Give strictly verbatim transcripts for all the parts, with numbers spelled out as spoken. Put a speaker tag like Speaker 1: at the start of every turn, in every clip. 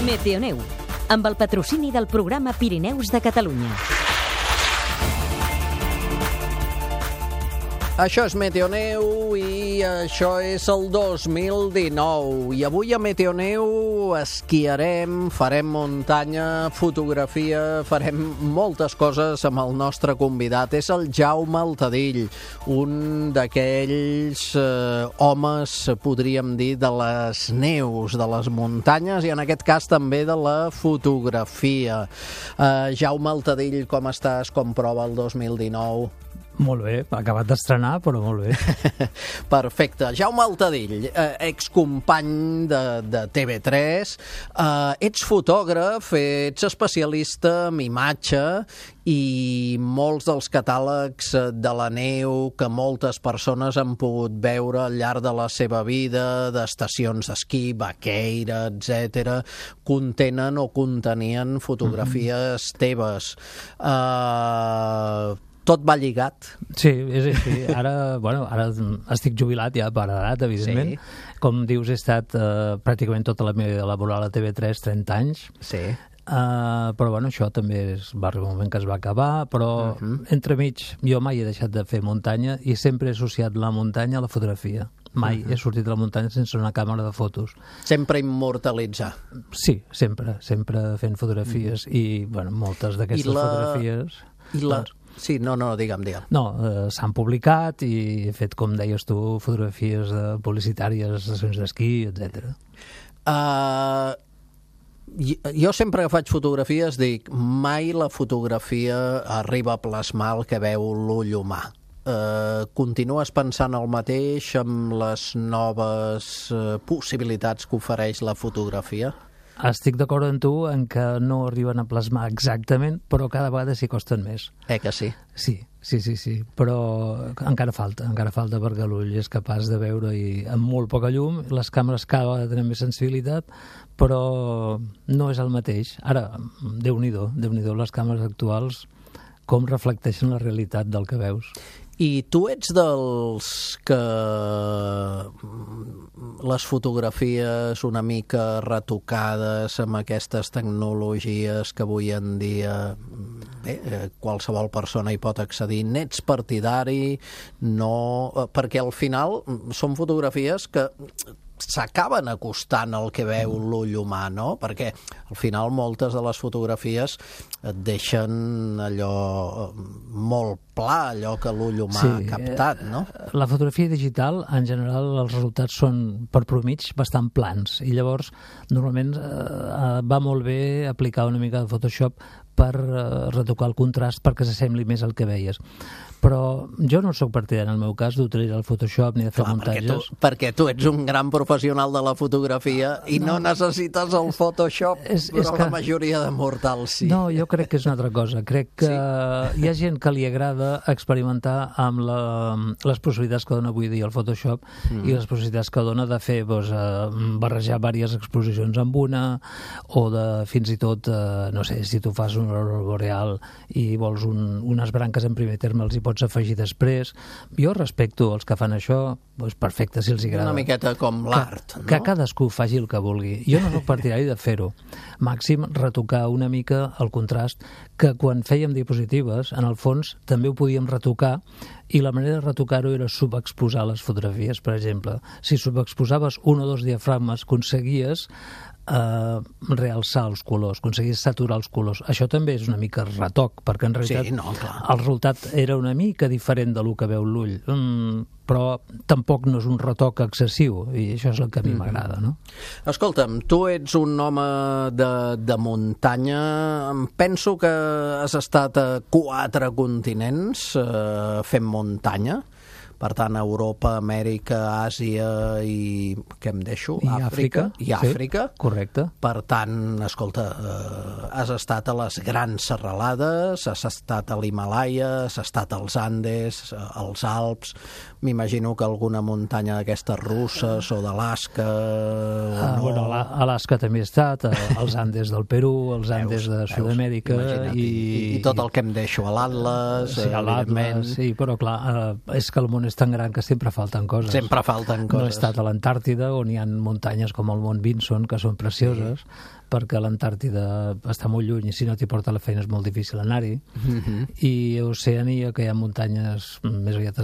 Speaker 1: Meteoneu, amb el patrocini del programa Pirineus de Catalunya.
Speaker 2: Això és Meteoneu i això és el dos mil dinou. I avui a Meteoneu esquiarem, farem muntanya, fotografia, farem moltes coses amb el nostre convidat. És el Jaume Altadill, un d'aquells eh, homes, podríem dir, de les neus, de les muntanyes i en aquest cas també de la fotografia. Eh, Jaume Altadill, com estàs? Com prova el dos mil dinou?
Speaker 3: Molt bé, acabat d'estrenar, però molt bé.
Speaker 2: Perfecte. Jaume Altadill, eh, excompany de, de T V tres, eh, ets fotògraf, ets especialista en imatge i molts dels catàlegs de la neu que moltes persones han pogut veure al llarg de la seva vida, d'estacions d'esquí, vaqueira, etcètera, contenen o contenien fotografies mm-hmm. teves. Eh... Tot va lligat.
Speaker 3: Sí, és així. Ara, bueno, ara estic jubilat ja per edat, evidentment. Sí. Com dius, he estat uh, pràcticament tota la meva vida laboral a T V tres, trenta anys.
Speaker 2: Sí.
Speaker 3: Uh, però bueno, això també es, va arribar un moment que es va acabar, però uh-huh. entremig jo mai he deixat de fer muntanya i sempre he associat la muntanya a la fotografia. Mai uh-huh. he sortit de la muntanya sense una càmera de fotos.
Speaker 2: Sempre immortalitzar.
Speaker 3: Sí, sempre, sempre fent fotografies uh-huh. i, bueno, moltes d'aquestes la... fotografies...
Speaker 2: I la... Doncs, sí, no, no, digue'm, digue'm.
Speaker 3: No, eh, s'han publicat i he fet, com deies tu, fotografies de publicitàries, estacions d'esquí, etcètera.
Speaker 2: Uh, jo sempre que faig fotografies dic, mai la fotografia arriba a plasmar el que veu l'ull humà. Uh, continues pensant el mateix amb les noves uh, possibilitats que ofereix la fotografia?
Speaker 3: Estic d'acord amb tu en que no arriben a plasmar exactament, però cada vegada s'hi costen més.
Speaker 2: Eh que sí?
Speaker 3: Sí, sí, sí, sí, però encara falta, encara falta perquè l'ull és capaç de veure i amb molt poca llum, les càmeres cada vegada tenen més sensibilitat, però no és el mateix. Ara, Déu-n'hi-do, Déu-n'hi-do les càmeres actuals com reflecteixen la realitat del que veus.
Speaker 2: I tu ets dels que les fotografies una mica retocades amb aquestes tecnologies que avui en dia bé, qualsevol persona hi pot accedir, n'ets partidari? No, perquè al final són fotografies que s'acaben acostant al que veu l'ull humà, no? Perquè al final moltes de les fotografies et deixen allò molt pla, allò que l'ull humà sí, ha captat, no?
Speaker 3: La fotografia digital, en general, els resultats són per promig bastant plans i llavors normalment eh, va molt bé aplicar una mica de Photoshop per eh, retocar el contrast perquè s'assembli més al que veies. Però jo no soc partidari, en el meu cas, d'utilitzar el Photoshop ni de fer
Speaker 2: Clar,
Speaker 3: muntatges.
Speaker 2: Perquè tu, perquè tu ets un gran professional de la fotografia i no, no necessites el Photoshop, és, però és que... la majoria de mortals sí.
Speaker 3: No, jo crec que és una altra cosa. Crec que sí? Hi ha gent que li agrada experimentar amb la, les possibilitats que dona avui dia el Photoshop mm. i les possibilitats que dona de fer doncs, eh, barrejar diverses exposicions amb una o de fins i tot, eh, no sé, si tu fas un aurora boreal i vols un, unes branques en primer terme, els hi pots afegir després. Jo respecto els que fan això, doncs perfecte, si els agrada.
Speaker 2: Una miqueta com l'art,
Speaker 3: que,
Speaker 2: no?
Speaker 3: Que cadascú faci el que vulgui. Jo no soc partidari de fer-ho. Màxim retocar una mica el contrast, que quan fèiem diapositives, en el fons, també ho podíem retocar i la manera de retocar-ho era subexposar les fotografies, per exemple. Si subexposaves un o dos diafragmes, aconseguies Uh, realçar els colors, aconseguir saturar els colors. Això també és una mica retoc, perquè en realitat
Speaker 2: sí, no, clar.
Speaker 3: El resultat era una mica diferent del que veu l'ull, mm, però tampoc no és un retoc excessiu i això és el que a mi mm-hmm. m'agrada, no?
Speaker 2: Escolta'm, tu ets un home de, de muntanya, em penso que has estat a quatre continents eh, fent muntanya. Per tant, Europa, Amèrica, Àsia i... què em deixo?
Speaker 3: I Àfrica.
Speaker 2: I Àfrica.
Speaker 3: Sí, correcte.
Speaker 2: Per tant, escolta, eh, has estat a les grans serralades, has estat a l'Himàlaia, has estat als Andes, als Alps, m'imagino que alguna muntanya d'aquestes russes o d'Alaska... O
Speaker 3: ah,
Speaker 2: no.
Speaker 3: Bueno, a Alaska també he estat, als Andes del Perú, als Andes de Sud-amèrica...
Speaker 2: I, i, I tot el que em deixo, a l'Atlas...
Speaker 3: Sí, a l'Atlas, sí, però clar, és que el món és és tan gran que sempre falten coses.
Speaker 2: Sempre falten coses.
Speaker 3: No he estat a l'Antàrtida, on hi ha muntanyes com el Mont Vinson, que són precioses, sí. perquè l'Antàrtida està molt lluny i si no t'hi porta la feina és molt difícil anar-hi. Mm-hmm. I a Oceania, que hi ha muntanyes més aviat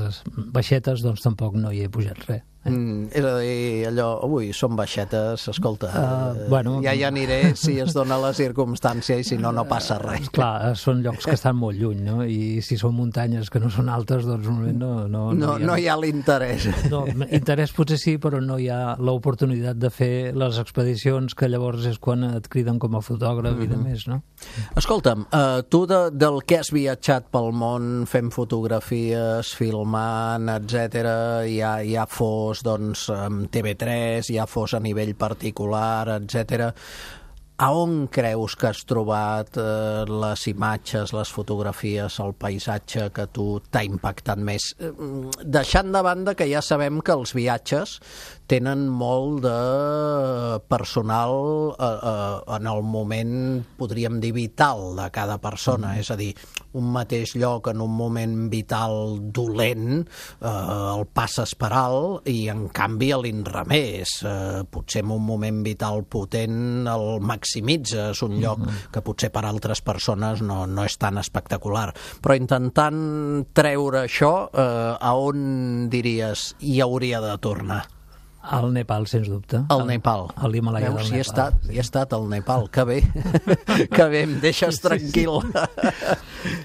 Speaker 3: baixetes, doncs tampoc no hi he pujat res. Eh?
Speaker 2: Mm, és a dir, allò, ui, són baixetes, escolta,
Speaker 3: uh, bueno,
Speaker 2: ja hi aniré si es dona la circumstància i si no, no passa res.
Speaker 3: Clar, són llocs que estan molt lluny, no? I si són muntanyes que no són altes, doncs no, no, no,
Speaker 2: no, no hi ha l'interès.
Speaker 3: No, interès potser sí, però no hi ha l'oportunitat de fer les expedicions, que llavors és quan et criden com a fotògraf mm-hmm. i de més, no?
Speaker 2: Escolta'm, uh, tu de, del que has viatjat pel món fent fotografies, filmant, etcètera, ja, ja fos doncs, amb T V tres, ja fos a nivell particular, etcètera. A on creus que has trobat eh, les imatges, les fotografies, el paisatge que a tu t'ha impactat més? Deixant de banda que ja sabem que els viatges tenen molt de personal eh, eh, en el moment, podríem dir, vital de cada persona. Mm. És a dir, un mateix lloc en un moment vital dolent eh, el passes per alt i en canvi a l'inrevés. Eh, potser en un moment vital potent el maximitzes, un lloc mm-hmm. que potser per altres persones no, no és tan espectacular. Però intentant treure això, eh, a on diries hi hauria de tornar?
Speaker 3: Al Nepal, sens dubte.
Speaker 2: Al Nepal.
Speaker 3: A l'Himalaya del Nepal.
Speaker 2: Hi he estat, sí. hi he estat al Nepal, que bé, que bé, em deixes tranquil.
Speaker 3: Sí, sí.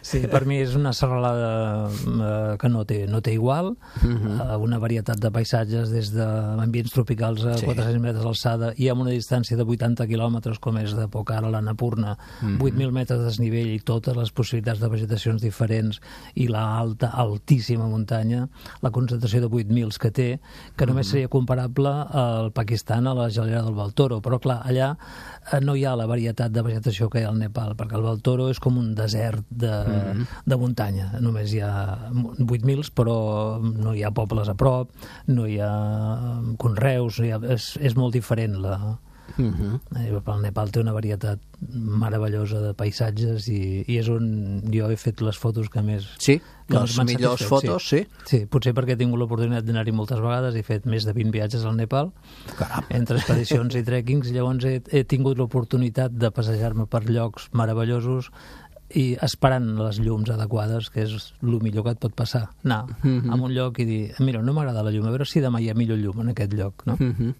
Speaker 3: Sí, per mi és una serralada uh, que no té, no té igual, uh-huh. uh, una varietat de paisatges des d'ambients tropicals a sí. quatre-cents metres d'alçada i amb una distància de vuitanta quilòmetres, com és de Pokhara a l'Annapurna, uh-huh. vuit mil metres de desnivell i totes les possibilitats de vegetacions diferents i la alta, altíssima muntanya, la concentració de vuit mil que té, que només uh-huh. seria comparable al Pakistan, a la gelera del Baltoro, però clar, allà no hi ha la varietat de vegetació que hi ha al Nepal, perquè el Baltoro és com un desert de, mm-hmm. de muntanya, només hi ha vuit mil, però no hi ha pobles a prop, no hi ha conreus, no hi ha, és, és molt diferent la... Mm-hmm. El Nepal té una varietat meravellosa de paisatges i, i és on jo he fet les fotos que més...
Speaker 2: Sí, que les millors fotos, sí.
Speaker 3: sí. Sí, potser perquè he tingut l'oportunitat d'anar-hi moltes vegades, he fet més de vint viatges al Nepal, Caram. entre expedicions i trekkings, llavors he, he tingut l'oportunitat de passejar-me per llocs meravellosos i esperant les llums adequades, que és el millor que et pot passar, anar mm-hmm. a un lloc i dir, mira, no m'agrada la llum, a veure si demà hi ha millor llum en aquest lloc, no?
Speaker 2: Mm-hmm.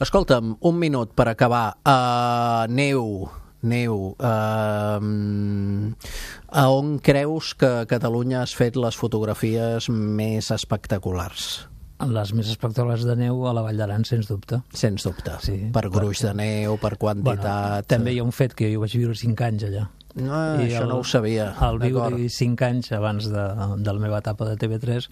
Speaker 2: Escolta'm, un minut per acabar. Uh, neu, neu, uh, a on creus que a Catalunya has fet les fotografies més espectaculars?
Speaker 3: Les més espectaculars de neu a la Vall d'Aran, sens dubte.
Speaker 2: Sens dubte.
Speaker 3: Sí,
Speaker 2: per gruix de neu, per quantitat...
Speaker 3: Bueno, també hi ha un fet que jo vaig viure cinc anys allà.
Speaker 2: No, això el, no ho sabia.
Speaker 3: Al viure cinc anys abans de, de la meva etapa de T V tres,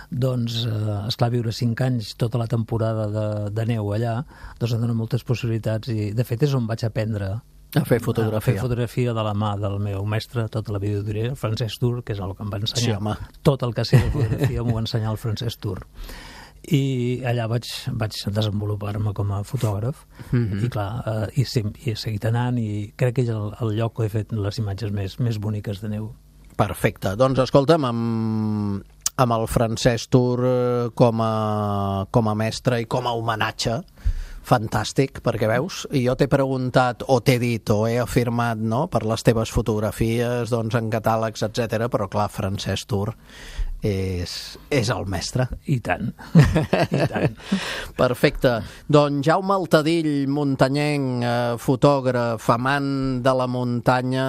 Speaker 3: doncs, eh, esclar, viure cinc anys tota la temporada de, de neu allà, doncs em dona moltes possibilitats i, de fet, és on vaig aprendre
Speaker 2: a fer fotografia.
Speaker 3: A fer fotografia de la mà del meu mestre, tota la vida ho diré, el Francesc Tur, que és el que em va ensenyar.
Speaker 2: Sí,
Speaker 3: tot el que sé de fotografia m'ho va ensenyar el Francesc Tur. I allà vaig, vaig desenvolupar-me com a fotògraf mm-hmm. i clar, eh, i, sem- i he seguit anant i crec que és el, el lloc que he fet les imatges més, més boniques de neu.
Speaker 2: Perfecte, doncs escolta'm, amb, amb el Francesc Tur com a, com a mestre i com a homenatge, fantàstic, perquè veus, i jo t'he preguntat o t'he dit o he afirmat, no?, per les teves fotografies, doncs en catàlegs, etcètera, però clar, Francesc Tur és, és el mestre.
Speaker 3: I tant, i tant.
Speaker 2: Perfecte. Doncs Jaume Altadill, muntanyenc, eh, fotògraf, amant de la muntanya,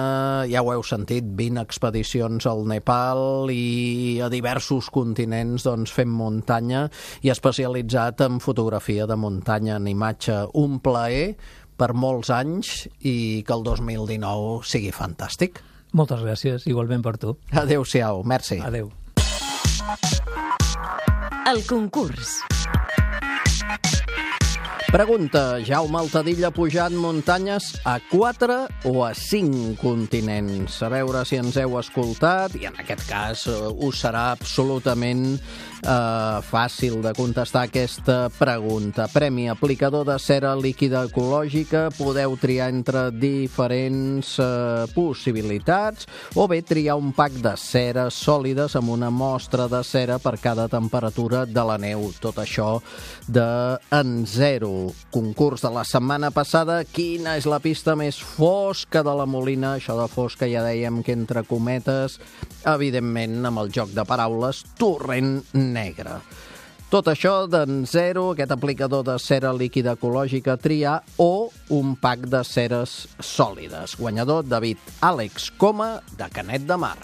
Speaker 2: ja ho heu sentit, vint expedicions al Nepal i a diversos continents doncs, fent muntanya i especialitzat en fotografia de muntanya, en imatge. Un plaer per molts anys i que el dos mil dinou sigui fantàstic.
Speaker 3: Moltes gràcies, igualment per tu.
Speaker 2: Adéu-siau, merci.
Speaker 3: Adéu.
Speaker 1: El concurs.
Speaker 2: Pregunta, Jaume Altadilla ha pujat muntanyes a quatre o a cinc continents? A veure si ens heu escoltat, i en aquest cas uh, us serà absolutament uh, fàcil de contestar aquesta pregunta. Premi aplicador de cera líquida ecològica, podeu triar entre diferents uh, possibilitats, o bé triar un pack de ceres sòlides amb una mostra de cera per cada temperatura de la neu. Tot això de En Zero. Concurs de la setmana passada, quina és la pista més fosca de la Molina? Això de fosca ja dèiem que entre cometes, evidentment amb el joc de paraules, torrent negre. Tot això d'En Zero, aquest aplicador de cera líquida ecològica a triar, o un pack de ceres sòlides. Guanyador, David Àlex Coma, de Canet de Mar.